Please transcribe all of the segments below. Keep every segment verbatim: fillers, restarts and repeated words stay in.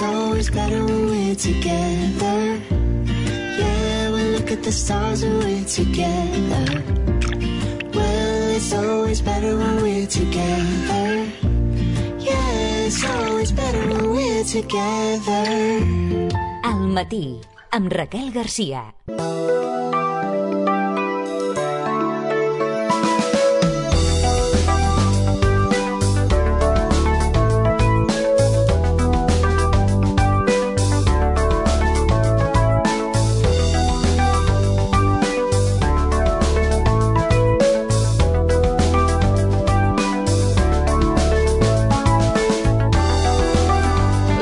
always better when we're together. Yeah, we look at the stars when we're together. Well, it's always better when we're together. Yeah, it's always better when we're together. Al matí, amb Raquel Garcia.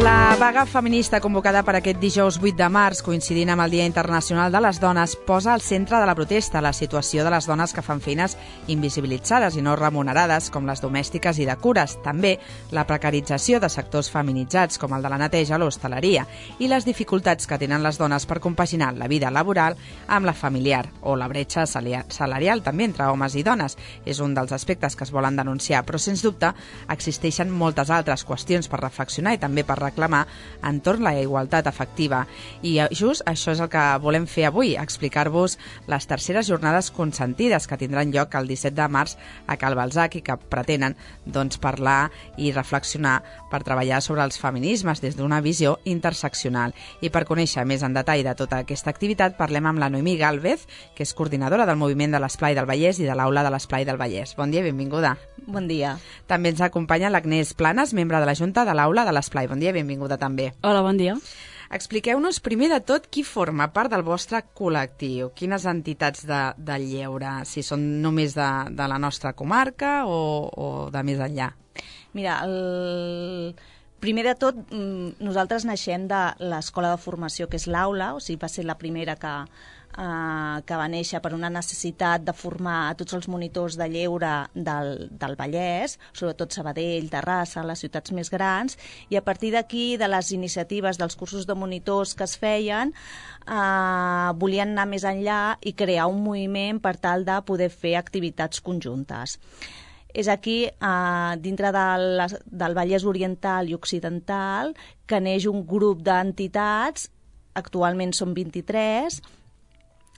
La vaga feminista convocada per aquest dijous vuit de març, coincidint amb el Dia Internacional de les Dones, posa al centre de la protesta la situació de les dones que fan feines invisibilitzades i no remunerades, com les domèstiques i de cures. També la precarització de sectors feminitzats, com el de la neteja o l'hostaleria, i les dificultats que tenen les dones per compaginar la vida laboral amb la familiar, o la bretxa salarial també entre homes i dones. És un dels aspectes que es volen denunciar, però sens dubte existeixen moltes altres qüestions per reflexionar i també per reclamar entorn la igualtat efectiva. I just això és el que volem fer avui, explicar-vos les terceres jornades consentides que tindran lloc el disset de març a Cal Balzac i que pretenen doncs, parlar i reflexionar per treballar sobre els feminismes des d'una visió interseccional. I per conèixer més en detall de tota aquesta activitat parlem amb la Noemí Gálvez, que és coordinadora del moviment de l'Esplai del Vallès i de l'Aula de l'Esplai del Vallès. Bon dia i benvinguda. Bon dia. També ens acompanya l'Agnès Planes, membre de la Junta de l'Aula de l'Esplai. Bon dia i benvinguda també. Hola, bon dia. Expliqueu-nos primer de tot qui forma part del vostre col·lectiu. Quines entitats de, de lleure? Si són només de, de la nostra comarca o, o de més enllà? Mira, el... primer de tot, nosaltres naixem de l'escola de formació, que és l'Aula, o sigui, va ser la primera que, eh, que va néixer per una necessitat de formar a tots els monitors de lleure del, del Vallès, sobretot Sabadell, Terrassa, les ciutats més grans, i a partir d'aquí, de les iniciatives dels cursos de monitors que es feien, eh, volien anar més enllà i crear un moviment per tal de poder fer activitats conjuntes. És aquí, eh, dintre del, del Vallès Oriental i Occidental, que neix un grup d'entitats, actualment són vint-i-tres,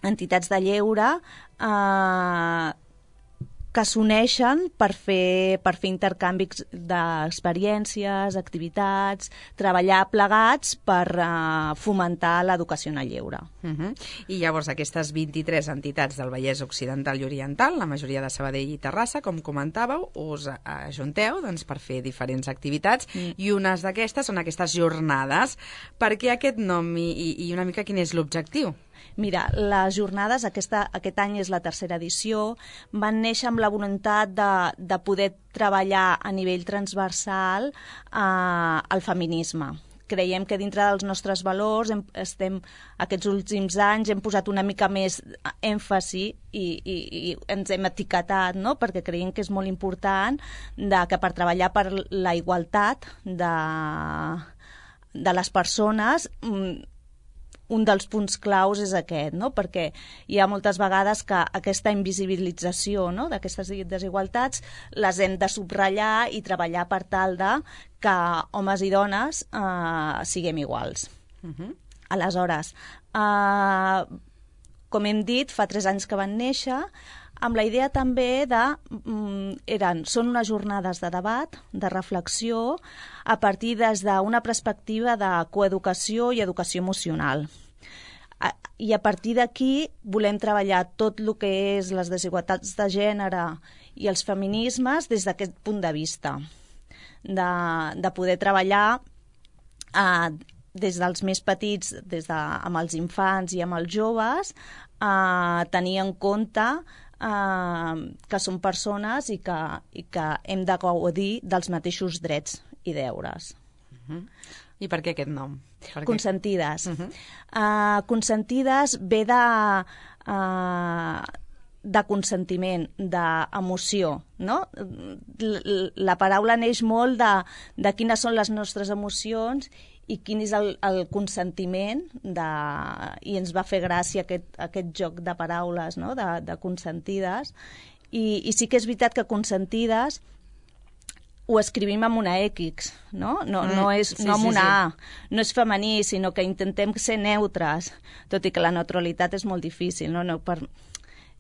entitats de lleure, eh, que s'uneixen per fer, per fer intercanvis d'experiències, activitats, treballar plegats per uh, fomentar l'educació en el lleure. Uh-huh. I llavors aquestes vint-i-tres entitats del Vallès Occidental i Oriental, la majoria de Sabadell i Terrassa, com comentàveu, us ajunteu doncs, per fer diferents activitats mm. i unes d'aquestes són aquestes jornades. Per què aquest nom i, i una mica quin és l'objectiu? Mira, les jornades, aquesta, aquest any és la tercera edició, van néixer amb la voluntat de, de poder treballar a nivell transversal eh, el feminisme. Creiem que dintre dels nostres valors hem, estem, aquests últims anys hem posat una mica més èmfasi i, i, i ens hem etiquetat, no? Perquè creiem que és molt important de, que per treballar per la igualtat de, de les persones un dels punts claus és aquest, no? Perquè hi ha moltes vegades que aquesta invisibilització, no? D'aquestes desigualtats les hem de subratllar i treballar per tal de que homes i dones eh, siguem iguals. Uh-huh. Aleshores, eh, com hem dit, fa tres anys que van néixer, amb la idea també de... Eren, són unes jornades de debat, de reflexió, a partir des d'una perspectiva de coeducació i educació emocional. I a partir d'aquí volem treballar tot el que és les desigualtats de gènere i els feminismes des d'aquest punt de vista, de, de poder treballar eh, des dels més petits, des de, amb els infants i amb els joves, eh, tenir en compte eh, que són persones i que, i que hem de gaudir dels mateixos drets i deures. Uh-huh. I per què aquest nom? Per Consentides. Uh-huh. Uh, consentides ve de, uh, de consentiment, d'emoció, no? La paraula neix molt de, de quines són les nostres emocions i quin és el, el consentiment de, i ens va fer gràcia aquest, aquest joc de paraules, no? de, de consentides. I, I sí que és veritat que consentides ho escrivim amb una X, no? No, Mm, no, és, sí, no amb sí, una sí. A. No és femení, sinó que intentem ser neutres, tot i que la neutralitat és molt difícil, no? No per...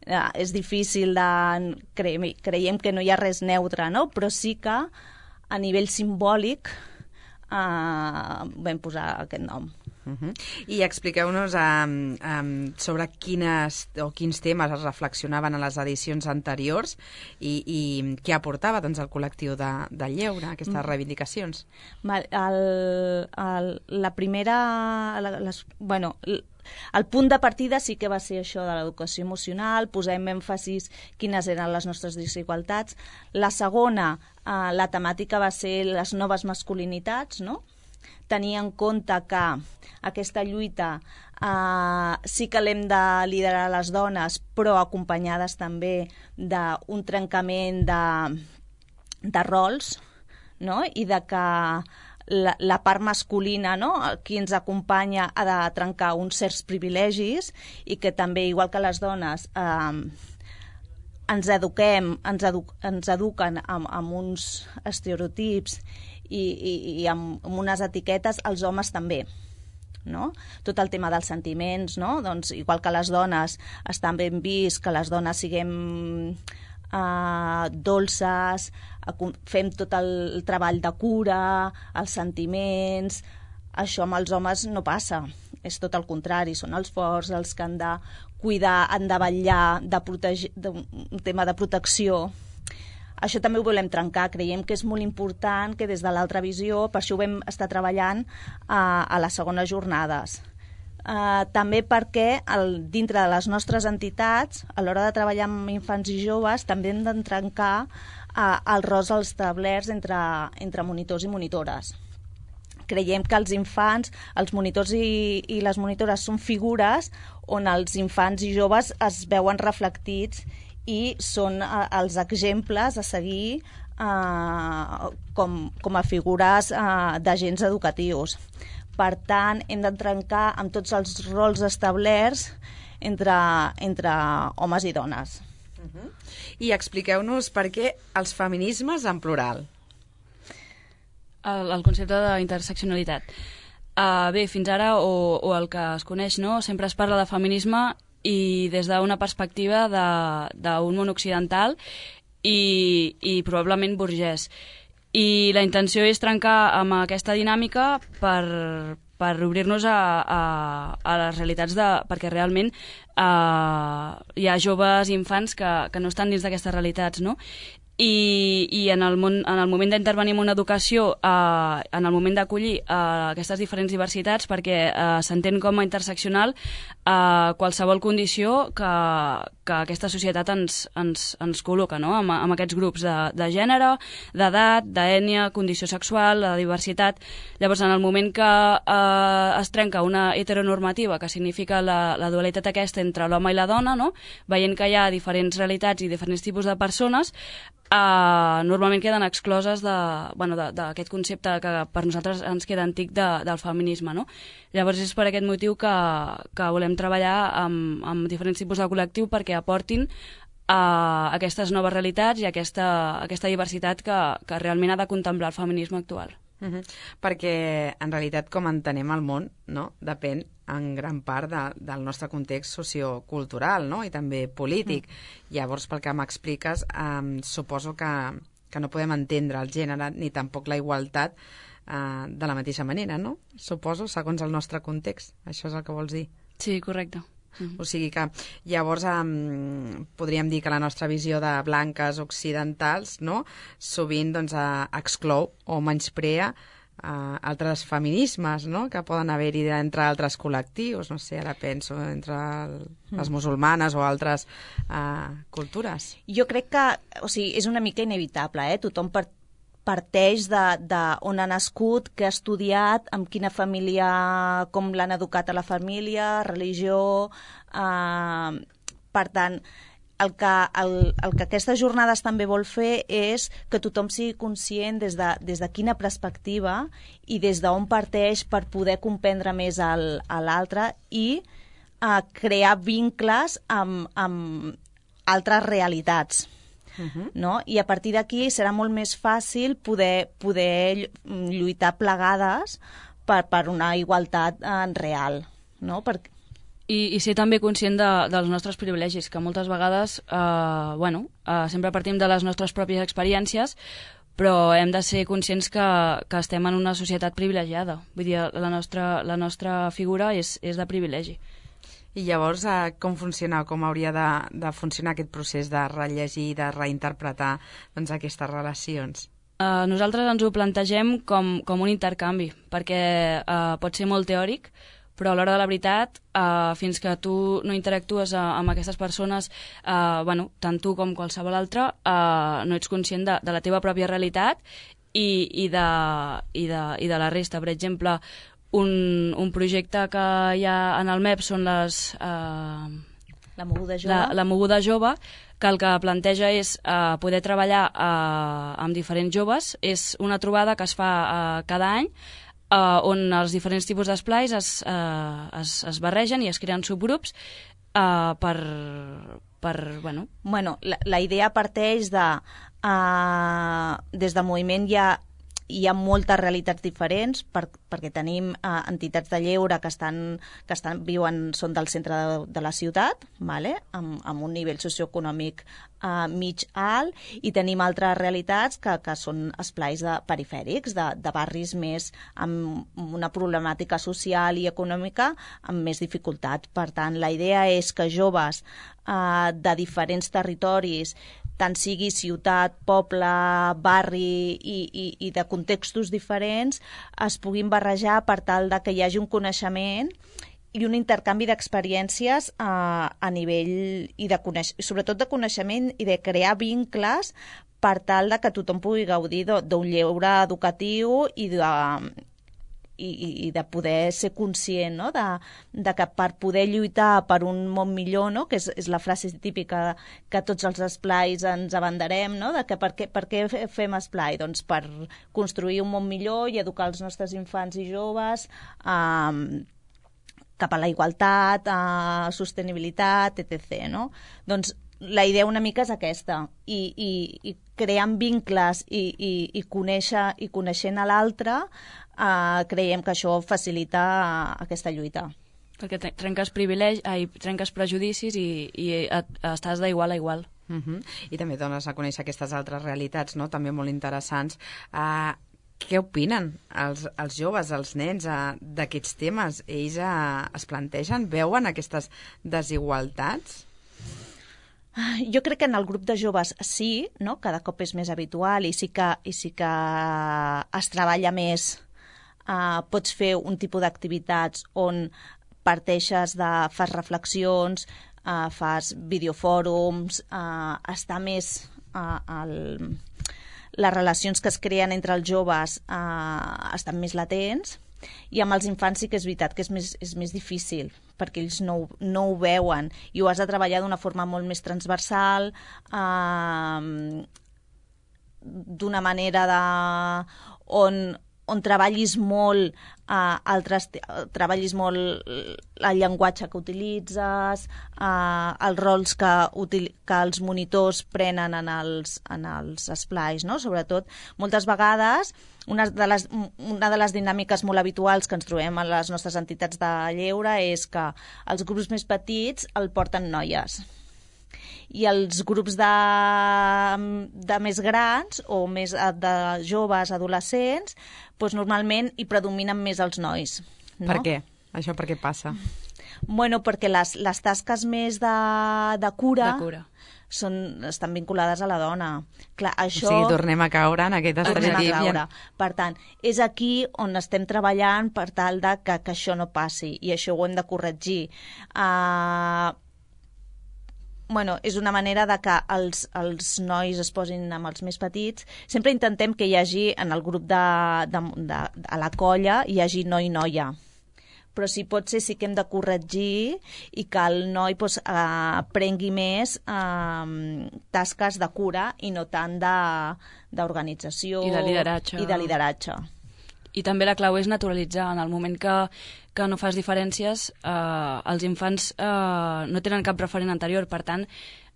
eh, és difícil de... Creiem, creiem que no hi ha res neutre, no? Però sí que a nivell simbòlic eh, vam posar aquest nom. Uh -huh. I expliqueu-nos um, um, sobre quines o quins temes es reflexionaven a les edicions anteriors i, i què aportava doncs, el col·lectiu de, de lleure, aquestes mm. reivindicacions. Val, el, el, la primera... La, les, bueno, el punt de partida sí que va ser això de l'educació emocional, posem èmfasis quines eren les nostres desigualtats. La segona, eh, la temàtica va ser les noves masculinitats, no? Tenir en compte que aquesta lluita eh, sí que l'hem de liderar les dones, però acompanyades també d'un trencament de, de rols, no? I de que la, la part masculina, no? Qui ens acompanya ha de trencar uns certs privilegis i que també, igual que les dones, eh, ens eduquem, ens, edu ens eduquen amb, amb uns estereotips i, i, i amb, amb unes etiquetes, els homes també. No? Tot el tema dels sentiments, no? Doncs, igual que les dones estan ben vist, que les dones siguem eh, dolces, fem tot el treball de cura, els sentiments, això amb els homes no passa, és tot el contrari, són els forts els que han de cuidar, han de vetllar, de protegir, de, un tema de protecció. Això també ho volem trencar, creiem que és molt important que des de l'altra visió, per això ho vam estar treballant a, a les segones jornades. Uh, també perquè el, dintre de les nostres entitats, a l'hora de treballar amb infants i joves, també hem de trencar uh, els rols establerts entre, entre monitors i monitores. Creiem que els infants, els monitors i, i les monitores són figures on els infants i joves es veuen reflectits i són eh, els exemples a seguir eh, com, com a figures eh, d'agents educatius. Per tant, hem de trencar amb tots els rols establerts entre, entre homes i dones. Uh-huh. I expliqueu-nos per què els feminismes en plural. El, el concepte d'interseccionalitat. Uh, bé, fins ara, o, o el que es coneix, no? Sempre es parla de feminisme i des d'una perspectiva d'un món occidental i, i probablement burgès. I la intenció és trencar amb aquesta dinàmica per, per obrir-nos a, a, a les realitats de... perquè realment eh, hi ha joves i infants que, que no estan dins d'aquestes realitats, no? I, i en, el món, en el moment d'intervenir en una educació, eh, en el moment d'acollir eh, aquestes diferents diversitats, perquè eh, s'entén com a interseccional eh, qualsevol condició que, que aquesta societat ens, ens, ens col·loca, no? amb, amb aquests grups de, de gènere, d'edat, d'ètnia, condició sexual, de diversitat. Llavors, en el moment que eh, es trenca una heteronormativa, que significa la, la dualitat aquesta entre l'home i la dona, no? Veient que hi ha diferents realitats i diferents tipus de persones, Uh, normalment queden excloses d'aquest bueno, concepte que per nosaltres ens queda antic de, del feminisme, no? Llavors és per aquest motiu que, que volem treballar amb, amb diferents tipus de col·lectiu perquè aportin uh, aquestes noves realitats i aquesta, aquesta diversitat que, que realment ha de contemplar el feminisme actual. Uh-huh. Perquè en realitat com entenem el món, no? Depèn en gran part de, del nostre context sociocultural, no? I també polític. Mm. Llavors, pel que m'expliques, eh, suposo que, que no podem entendre el gènere ni tampoc la igualtat eh, de la mateixa manera, no? Suposo, segons el nostre context. Això és el que vols dir. Sí, correcte. Mm. O sigui que llavors um, podríem dir que la nostra visió de blanques occidentals, no? Sovint doncs, uh, exclou o menysprea uh, altres feminismes, no? Que poden haver-hi entre altres col·lectius, no sé, ara penso entre el, mm. les musulmanes o altres uh, cultures. Jo crec que, o sigui, és una mica inevitable, eh? Tothom per parteix de, de on ha nascut, que ha estudiat, amb quina família, com l'han educat a la família, religió... Eh, per tant, el que, el, el que aquestes jornades també vol fer és que tothom sigui conscient des de, des de quina perspectiva i des d'on parteix per poder comprendre més el, a l'altre i eh, crear vincles amb, amb altres realitats. uh-huh. no? I a partir d'aquí serà molt més fàcil poder, poder lluitar plegades per, per una igualtat eh, real, no? Perquè I, i ser també conscient de, dels nostres privilegis, que moltes vegades eh, bueno, eh, sempre partim de les nostres pròpies experiències, però hem de ser conscients que, que estem en una societat privilegiada. Vull dir, la nostra, la nostra figura és, és de privilegi. I llavors, eh, com funciona, com hauria de, de funcionar aquest procés de rellegir, de reinterpretar doncs, aquestes relacions? Uh, nosaltres ens ho plantegem com, com un intercanvi, perquè uh, pot ser molt teòric, però a l'hora de la veritat, uh, fins que tu no interactues uh, amb aquestes persones, uh, bueno, tant tu com qualsevol altre, uh, no ets conscient de, de la teva pròpia realitat i, i, de, i, de, i de la resta. Per exemple, un, un projecte que hi ha en el M E P són les... Uh, la moguda jove. La, la moguda jove, que el que planteja és uh, poder treballar uh, amb diferents joves. És una trobada que es fa uh, cada any, Uh, on els diferents tipus d'esplais es, uh, es, es barregen i es creen subgrups uh, per, per, bueno... Bueno, la, la idea parteix de... Uh, des del moviment hi ha, hi ha moltes realitats diferents, per, perquè tenim uh, entitats de lleure que estan, que estan viuen, són del centre de, de la ciutat, vale? amb, amb un nivell socioeconòmic uh, mig alt, i tenim altres realitats que, que són esplais de, perifèrics, de, de barris més amb una problemàtica social i econòmica amb més dificultat. Per tant, la idea és que joves uh, de diferents territoris, tant sigui ciutat, poble, barri i, i, i de contextos diferents, es puguin barrejar per tal de que hi hagi un coneixement i un intercanvi d'experiències eh, a nivell, i de coneix, sobretot de coneixement i de crear vincles per tal de que tothom pugui gaudir d'un lleure educatiu i de, i, i de poder ser conscient, no? de, de que per poder lluitar per un món millor, no? Que és, és la frase típica que tots els esplais ens abanderem, no? De que per què, per què fem esplai? Doncs per construir un món millor i educar els nostres infants i joves eh, cap a la igualtat, a sostenibilitat, etcètera. No? Doncs la idea una mica és aquesta, i, i, i creant vincles i, i, i, conèixer, i coneixent a l'altre, eh, creiem que això facilita aquesta lluita. Perquè trenques privilegi, ai, trenques prejudicis i, i et, estàs d'igual a igual. Uh-huh. I també dones a conèixer aquestes altres realitats, no? També molt interessants. Uh, què opinen els, els joves, els nens, uh, d'aquests temes? Ells uh, es plantegen, veuen aquestes desigualtats? Jo crec que en el grup de joves sí, no? Cada cop és més habitual i sí que, i sí que es treballa més. Uh, pots fer un tipus d'activitats on parteixes de... fas reflexions, uh, fas videofòrums, uh, està més... Uh, el, les relacions que es creen entre els joves uh, estan més latents, i amb els infants sí que és veritat que és més, és més difícil, perquè ells no, no ho veuen i ho has de treballar d'una forma molt més transversal, eh, d'una manera de, on, on treballis molt eh, altres, treballis molt el llenguatge que utilitzes, eh, els rols que, util, que els monitors prenen en els, en els esplais, no? Sobretot, moltes vegades Una de, les, una de les dinàmiques molt habituals que ens trobem a les nostres entitats de lleure és que els grups més petits el porten noies i els grups de, de més grans o més de joves, adolescents, doncs normalment hi predominen més els nois. No? Per què? Això per què passa? Bueno, perquè les, les tasques més de, de cura... De cura. Són, estan vinculades a la dona. Clar, això... O sigui, tornem a caure en aquest estereotip. Per tant, és aquí on estem treballant per tal de que, que això no passi, i això ho hem de corregir. Uh, bueno, és una manera de que els, els nois es posin amb els més petits. Sempre intentem que hi hagi, en el grup de, de, de, a la colla, hi hagi noi-noia. Però si pot ser sí que hem de corregir i que el noi pues, eh, prengui més eh, tasques de cura i no tant d'organització i de lideratge. I de lideratge. I també la clau és naturalitzar. En el moment que, que no fas diferències, eh, els infants eh, no tenen cap referent anterior. Per tant,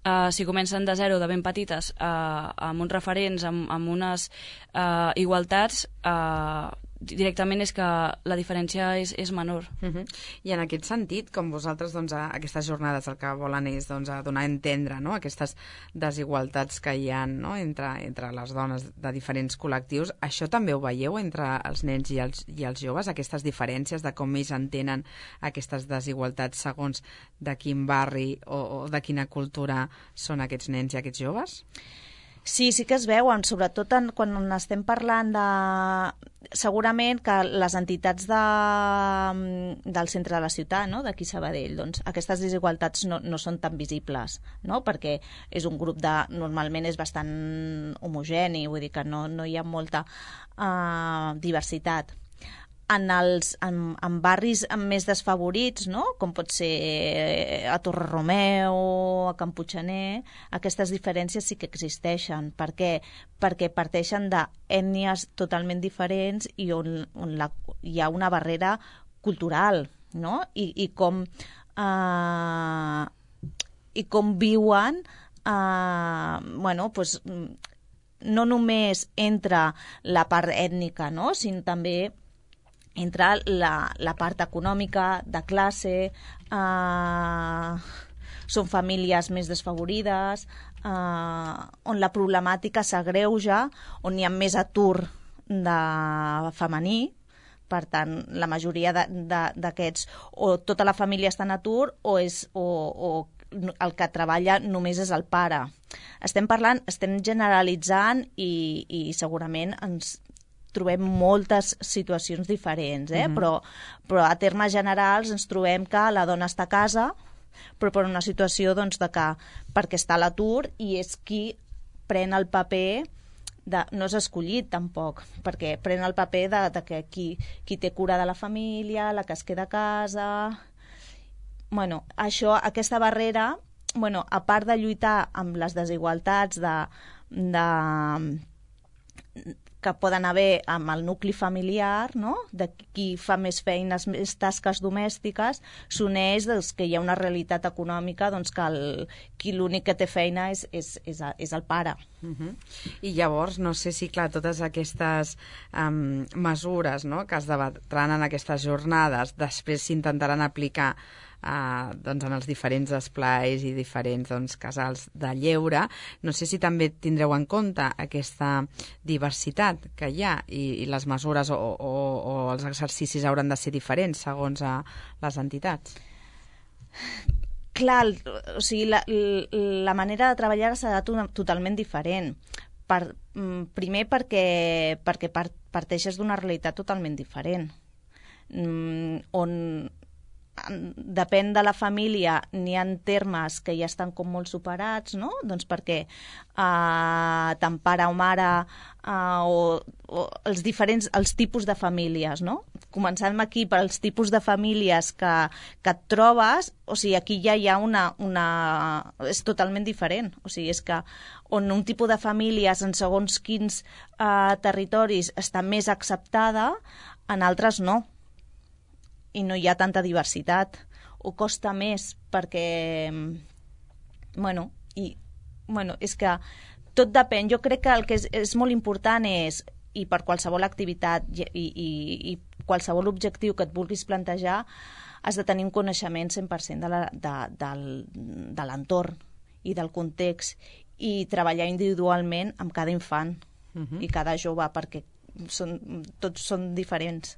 uh, si comencen de zero, de ben petites, uh, amb uns referents, amb, amb unes uh, igualtats, uh, directament és que la diferència és, és menor. Uh -huh. I en aquest sentit, com vosaltres, doncs, a aquestes jornades el que volen és doncs, a donar a entendre, no?, aquestes desigualtats que hi ha, no?, entre, entre les dones de diferents col·lectius, això també ho veieu entre els nens i els, i els joves, aquestes diferències de com ells entenen aquestes desigualtats segons de quin barri o, o de quina cultura són aquests nens i aquests joves? Sí, sí que es veuen, sobretot en, quan estem parlant de... Segurament que les entitats de, del centre de la ciutat, no?, d'aquí Sabadell, doncs aquestes desigualtats no, no són tan visibles, no?, perquè és un grup de... Normalment és bastant homogeni, vull dir que no, no hi ha molta uh, diversitat. En, els, en, en barris més desfavorits, no?, com pot ser a Torre-romeu, a Can Puiggener, aquestes diferències sí que existeixen. Per què? Perquè parteixen d'ètnies totalment diferents i on, on la, hi ha una barrera cultural, no?, i, i com eh, i com viuen eh, bueno, pues, no només entre la part ètnica, no?, sinó també entre la, la part econòmica, de classe, eh, són famílies més desfavorides, eh, on la problemàtica s'agreuja, on hi ha més atur de femení, per tant, la majoria d'aquests, o tota la família està en atur, o, és, o, o el que treballa només és el pare. Estem parlant, estem generalitzant i, i segurament ens trobem moltes situacions diferents, eh? Mm-hmm. però, però a termes generals ens trobem que la dona està a casa, però per una situació doncs, de que perquè està a l'atur i és qui pren el paper, de, no és escollit tampoc, perquè pren el paper de, de que qui, qui té cura de la família, la que es queda a casa... Bueno, això, aquesta barrera, bueno, a part de lluitar amb les desigualtats de... de que poden haver amb el nucli familiar, no?, de qui fa més feines, més tasques domèstiques, s'uneix doncs, que hi ha una realitat econòmica doncs, que el, qui l'únic que té feina és, és, és, és el pare. Uh-huh. I llavors, no sé si, clar, totes aquestes um, mesures, no?, que es debatran en aquestes jornades, després s'intentaran aplicar Uh, doncs en els diferents esplais i diferents doncs, casals de lleure. No sé si també tindreu en compte aquesta diversitat que hi ha i, i les mesures o, o, o els exercicis hauran de ser diferents segons a les entitats. Clar, o sigui, la, la manera de treballar serà totalment diferent. Per, primer perquè, perquè parteixes d'una realitat totalment diferent, on depèn de la família, n'hi ha termes que ja estan com molt superats, no? Doncs perquè eh, tant pare o mare eh, o, o els diferents els tipus de famílies, no? Començant aquí per els tipus de famílies que, que et trobes, o sigui, aquí ja hi ha una, una... és totalment diferent, o sigui, és que on un tipus de famílies en segons quins eh, territoris està més acceptada, en altres no. I no hi ha tanta diversitat, o costa més perquè, bueno, i, bueno, és que tot depèn. Jo crec que el que és, és molt important és, i per qualsevol activitat i, i, i qualsevol objectiu que et vulguis plantejar, has de tenir un coneixement cent per cent de la, de, del, de l'entorn i del context, i treballar individualment amb cada infant uh-huh. i cada jove, perquè són, tots són diferents.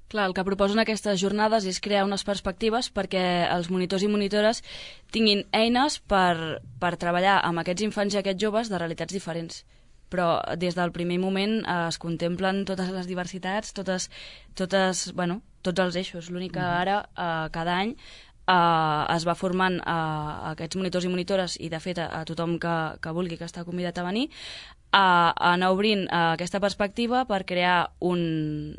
Clar, el que proposen aquestes jornades és crear unes perspectives perquè els monitors i monitores tinguin eines per, per treballar amb aquests infants i aquests joves de realitats diferents. Però des del primer moment eh, es contemplen totes les diversitats, totes, totes, bueno, tots els eixos. L'únic que ara, eh, cada any, eh, es va formant eh, aquests monitors i monitores, i de fet a, a tothom que, que vulgui, que està convidat a venir, a anar obrint uh, aquesta perspectiva per crear un,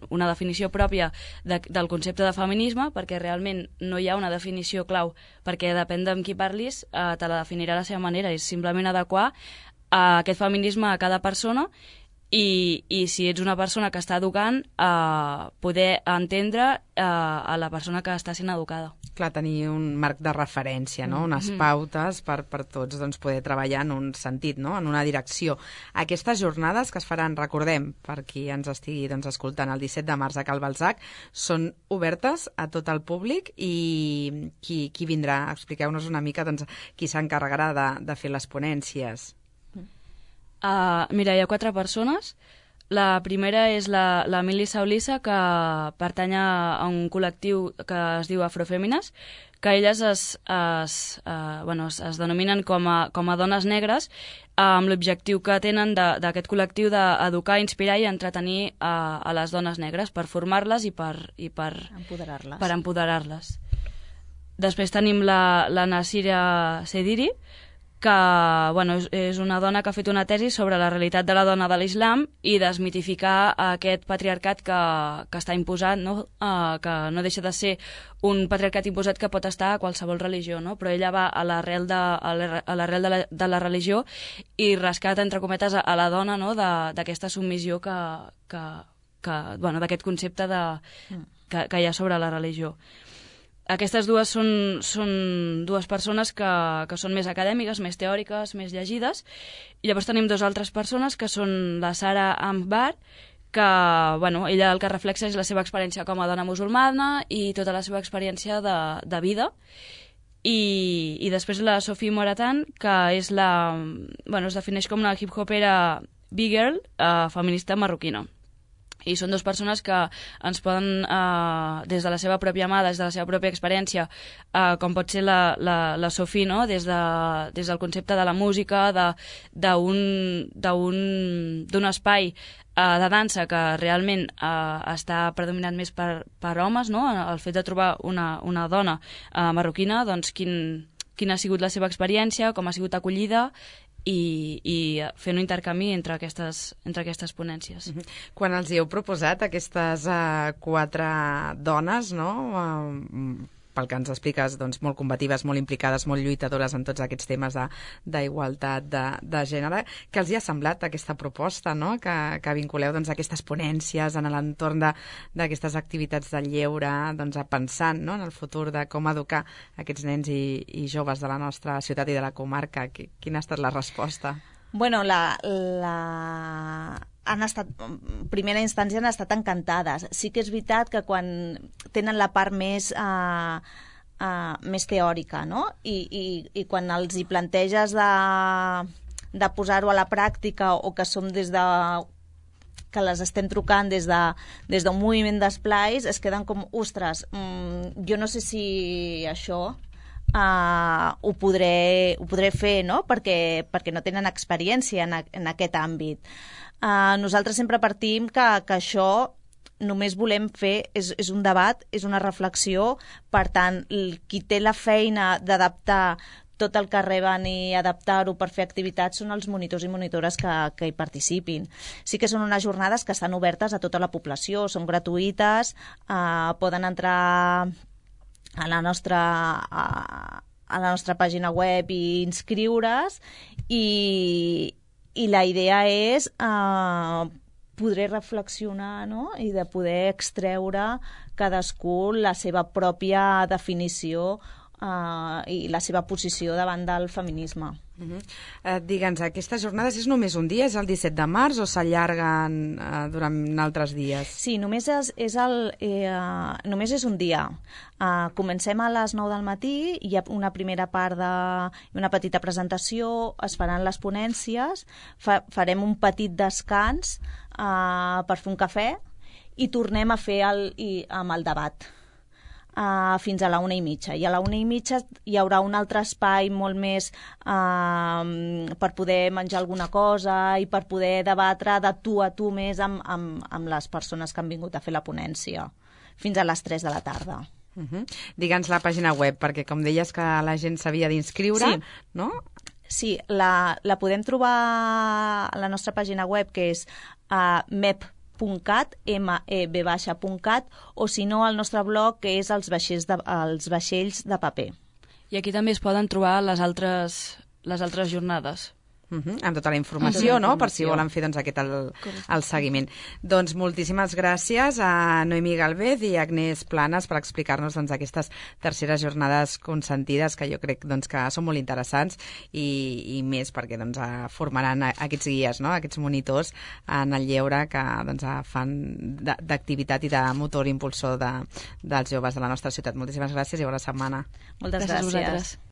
una definició pròpia de, del concepte de feminisme, perquè realment no hi ha una definició clau, perquè depèn d'amb qui parlis, uh, te la definirà a la seva manera, és simplement adequar uh, aquest feminisme a cada persona i, i si ets una persona que està educant, uh, poder entendre uh, a la persona que està sent educada. clar, tenir un marc de referència, no? Unes pautes per, per tots doncs, poder treballar en un sentit, no? En una direcció. Aquestes jornades que es faran, recordem, per qui ens estigui doncs, escoltant el disset de març a Cal Balzac, són obertes a tot el públic i qui, qui vindrà? Expliqueu-nos una mica doncs, qui s'encarregarà de, de fer les ponències. Uh, mira, hi ha quatre persones. La primera és la, la Mili Saulissa, que pertany a un col·lectiu que es diu Afrofèmines, que elles es, es, uh, bueno, es, es denominen com a, com a dones negres, uh, amb l'objectiu que tenen d'aquest col·lectiu d'educar, inspirar i entretenir uh, a les dones negres per formar-les i per, i per empoderar-les. Per empoderar-les. Després tenim la, la Nasira Sediri, que bueno, és, és una dona que ha fet una tesi sobre la realitat de la dona de l'islam i desmitificar aquest patriarcat que, que està imposat, no? Uh, que no deixa de ser un patriarcat imposat que pot estar a qualsevol religió, no? Però ella va a l'arrel de, a l'arrel de, la, de la religió i rescata, entre cometes, a, a la dona, no? d'aquesta submissió que, que, que, bueno, d'aquest concepte de, que, que hi ha sobre la religió. Aquestes dues són, són dues persones que, que són més acadèmiques, més teòriques, més llegides. I llavors tenim dues altres persones que són la Sara Ambar, que bueno, ella el que reflexa és la seva experiència com a dona musulmana i tota la seva experiència de, de vida. I, i després la Sophie Moratan, que és la, bueno, es defineix com una hip-hopera big girl, eh, feminista marroquina. I són dues persones que ens poden, eh, des de la seva pròpia mà, des de la seva pròpia experiència, eh, com pot ser la, la, la Sophie, no? des, de, des del concepte de la música, d'un espai eh, de dansa que realment eh, està predominant més per, per homes, no? El fet de trobar una, una dona eh, marroquina, doncs quin, quina ha sigut la seva experiència, com ha sigut acollida, i, i fer un intercanvi entre aquestes, entre aquestes ponències. Uh-huh. Quan els hi heu proposat aquestes uh, quatre dones, no? Uh, pel que ens expliques, doncs, molt combatives, molt implicades, molt lluitadores en tots aquests temes d'igualtat de, de, de gènere, que els hi ha semblat aquesta proposta, no? que, que vinculeu doncs, aquestes ponències en l'entorn d'aquestes activitats de lleure, doncs, pensant, no? en el futur de com educar aquests nens i, i joves de la nostra ciutat i de la comarca. Quina ha estat la resposta? Bueno, la... la... han estat, en primera instància han estat encantades. Sí que és veritat que quan tenen la part més, uh, uh, més teòrica, no? I, i, i quan els hi planteges de, de posar-ho a la pràctica o que som des de que les estem trucant des de des d'un moviment d'esplais, es queden com, ostres, mm, jo no sé si això uh, ho, podré, ho podré fer, no? Perquè, perquè no tenen experiència en, a, en aquest àmbit. Uh, nosaltres sempre partim que, que això només volem fer, és, és un debat, és una reflexió, per tant, el, qui té la feina d'adaptar tot el que reben i adaptar-ho per fer activitats són els monitors i monitores que, que hi participin. Sí que són unes jornades que estan obertes a tota la població, són gratuïtes, uh, poden entrar a la nostra... A, a la nostra pàgina web i inscriure's i i la idea és eh, poder reflexionar, no? I de poder extreure cadascú la seva pròpia definició eh, i la seva posició davant del feminisme. Uh-huh. eh, Digue'ns, aquestes jornades és només un dia? És el disset de març o s'allarguen eh, durant altres dies? Sí, només és, és, el, eh, només és un dia. Uh, comencem a les nou del matí, hi ha una primera part de una petita presentació, es faran les ponències, fa, farem un petit descans uh, per fer un cafè i tornem a fer el, i, amb el debat. Uh, fins a la una i mitja. I a la una i mitja hi haurà un altre espai molt més uh, per poder menjar alguna cosa i per poder debatre de tu a tu més amb, amb, amb les persones que han vingut a fer la ponència, fins a les tres de la tarda. Uh-huh. Digue'ns la pàgina web, perquè com deies que la gent s'havia d'inscriure, sí. no? Sí, la, la podem trobar a la nostra pàgina web, que és uh, mep punt cat, m e b baixa punt cat, o si no, el nostre blog, que és els vaixells de, els vaixells de paper. I aquí també es poden trobar les altres, les altres jornades. Uh -huh, amb tota la informació, Tota la no? Per si informació. volen fer doncs, aquest el, el seguiment. Doncs moltíssimes gràcies a Noemí Galvez i Agnès Planes per explicar-nos doncs, aquestes terceres jornades consentides que jo crec doncs, que són molt interessants i, i més perquè doncs, formaran aquests guies, no? Aquests monitors en el lleure que doncs, fan d'activitat i de motor impulsor de, dels joves de la nostra ciutat. Moltíssimes gràcies i bona setmana. Moltes Gràcies a gràcies. vosaltres.